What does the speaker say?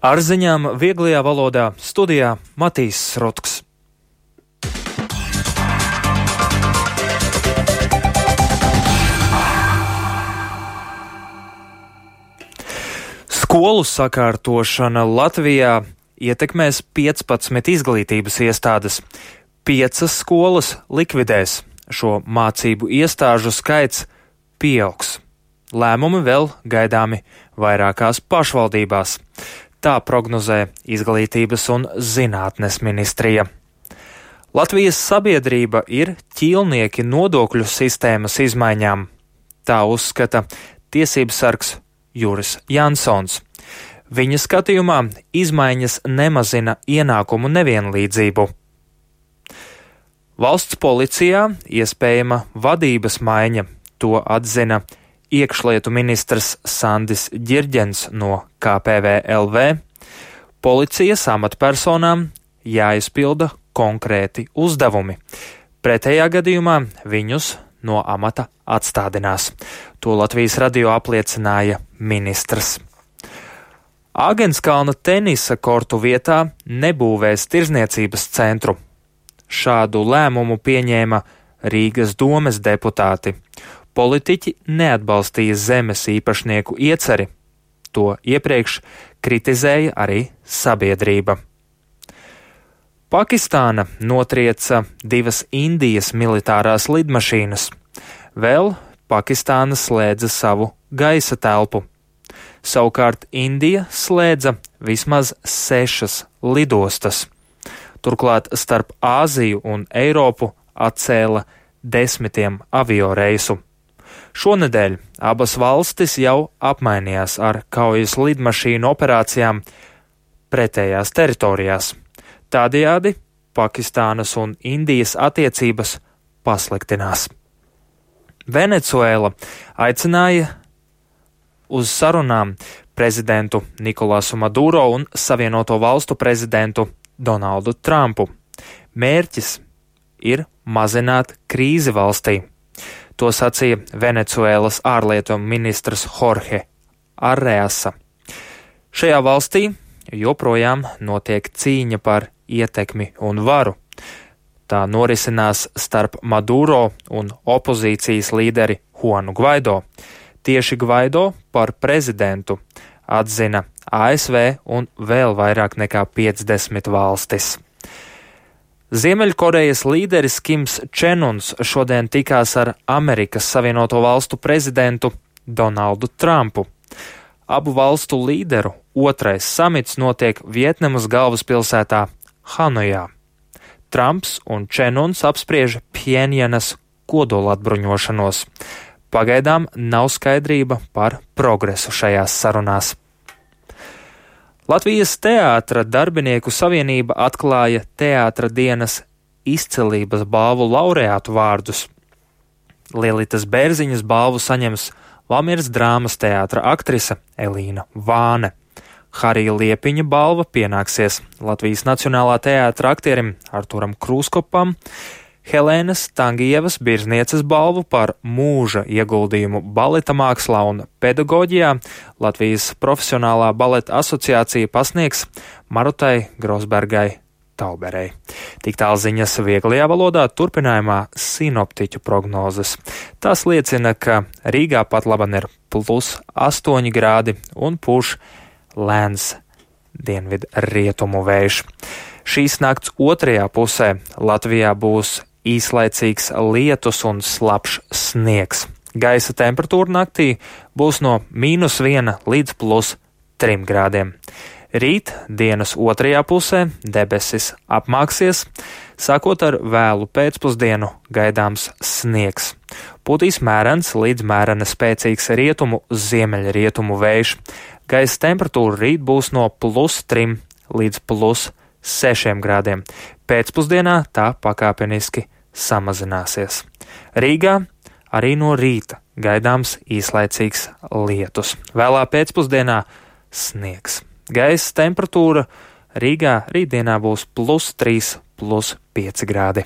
Ar ziņām vieglajā valodā studijā Matīs Rutks. Skolu sakārtošana Latvijā ietekmēs 15 izglītības iestādes. 5 skolas likvidēs. Šo mācību iestāžu skaits pieaugs. Lēmumi vēl gaidāmi vairākās pašvaldībās. Tā prognozē Izglītības un zinātnes ministrija. Latvijas sabiedrība ir ķīlnieki nodokļu sistēmas izmaiņām. Tā uzskata tiesības sargs Juris Jansons. Viņa skatījumā izmaiņas nemazina ienākumu nevienlīdzību. Valsts policijā iespējama vadības maiņa, to atzina iekšlietu ministrs Sandis Ģirģens no KPVLV. Policijas amatpersonām jāizpilda konkrēti uzdevumi. Pretējā gadījumā viņus no amata atstādinās. To Latvijas radio apliecināja ministrs. Āgenskalna tenisa kortu vietā nebūvēs tirzniecības centru. Šādu lēmumu pieņēma Rīgas domes deputāti. Politiķi neatbalstīja zemes īpašnieku ieceri. To iepriekš kritizēja arī sabiedrība. Pakistāna notrieca 2 Indijas militārās lidmašīnas. Vēl Pakistāna slēdza savu gaisa telpu. Savukārt Indija slēdza vismaz 6 lidostas. Turklāt starp Āziju un Eiropu atcēla 10 avioreisu. Šonedēļ abas valstis jau apmainījās ar kaujas lidmašīnu operācijām pretējās teritorijās. Tādējādi Pakistānas un Indijas attiecības pasliktinās. Venecuēla aicināja uz sarunām prezidentu Nikolasu Maduro un Savienoto Valstu prezidentu Donaldu Trumpu. Mērķis ir mazināt krīzi valstī. To sacīja Venecuēlas ārlietu ministrs Jorge Arreasa. Šajā valstī joprojām notiek cīņa par ietekmi un varu. Tā norisinās starp Maduro un opozīcijas līderi Juanu Gvaido. Tieši Gvaido par prezidentu atzina ASV un vēl vairāk nekā 50 valstis. Ziemeļkorejas līderis Kims Čen Uns šodien tikās ar Amerikas Savienoto Valstu prezidentu Donaldu Trumpu. Abu valstu līderu otrais samits notiek Vietnamas galvaspilsētā Hanojā. Trumps un Čen Uns apspriež Pjenjanas kodolatbruņošanos. Pagaidām nav skaidrība par progresu šajās sarunās. Latvijas Teātra darbinieku savienība atklāja Teātra dienas izcilības balvu laureātu vārdus. Lielitas Bērziņas balvu saņems Valmieras drāmas teātra aktrise Elīna Vāne. Harija Liepiņa balva pienāksies Latvijas Nacionālā teātra aktierim Arturam Krūskopam, Helēnas Tangievas Birznieces balvu par mūža ieguldījumu baleta mākslā un pedagoģijā Latvijas Profesionālā baleta asociācija pasniegs Marutai Grosbergai Tauberei. Tik tālu ziņas vieglajā valodā, turpinājumā sinoptiķu prognozes. Tas liecina, ka Rīgā pat laban ir +8 grādi un pūš lēns dienvidu rietumu vējš. Šīs nakts otrajā pusē Latvijā būs īslaicīgs lietus un slapjš sniegs. Gaisa temperatūra naktī būs no -1 līdz +3 grādiem. Rīt dienas otrajā pusē debesis apmāksies, sākot ar vēlu pēcpusdienu gaidāms sniegs. Pūtīs mērens līdz mērena spēcīgs rietumu ziemeļrietumu vējš. Gaisa temperatūra rīt būs no +3 līdz +6 grādiem. Pēcpusdienā tā pakāpeniski samazināsies. Rīgā arī no rīta gaidāms īslaicīgs lietus. Vēlā pēcpusdienā sniegs. Gaisa temperatūra Rīgā rītdienā būs +3, +5 grādi.